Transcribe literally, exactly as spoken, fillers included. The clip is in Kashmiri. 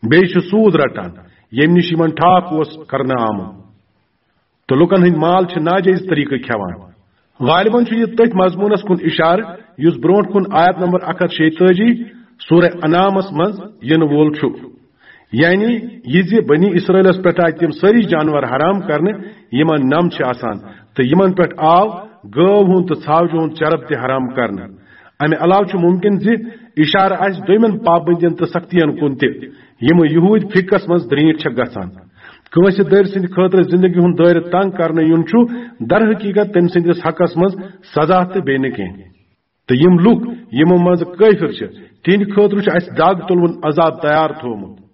بیٚیہِ چھِ سوٗد رٹان، ییٚمہِ نِش یِمن ٹھاک اوس کرنہٕ آمُت، تہٕ لُکن ہٕنٛدۍ مال چھِ ناجٲیز طریقہٕ کھٮ۪وان۔ غالباً چھُ یہِ تٔتھۍ مضموٗنس کُن اِشارٕ یُس برٛونٛٹھ کُن آیت نمبر اکھ ہتھ شیٚیہِ تٲجی سورہ انعامس منٛز یِنہٕ وول چھُ، یعنی یہِ زِ بنی اسرائیلس پٮ۪ٹھ آیہِ تِم سٲری جانور حرام کرنہٕ یِمن نم چھِ آسان، تہٕ یِمن پٮ۪ٹھ آو گٲو ہُنٛد تہٕ ژھاوجہِ ہُنٛد چرب تہِ حرام کرنہٕ۔ امہِ علاوٕ چھُ ممکن زِ اشارٕ آسہِ دوٚیمٮ۪ن پابندین تہٕ سختین کُن تہِ، یِم یہودۍ فقہس منٛز درینٹھ چھےٚ گژھان۔ کٲنٛسہِ دٔرۍ سٕنٛدِ خٲطرٕ زندگی ہُنٛد دٲیرٕ تنگ کرنہٕ یُن چھُ در حقیقت تٔمۍ سٕنٛدِس حقس منٛز سزا تہٕ بیٚیہِ نہٕ کینٛہہ۔ تہٕ یِم لُکھ یِمو منٛز کٲفر چھِ، تِہنٛدِ خٲطرٕ چھُ اسہِ دگ تُلوُن عذاب تیار تھوومُت۔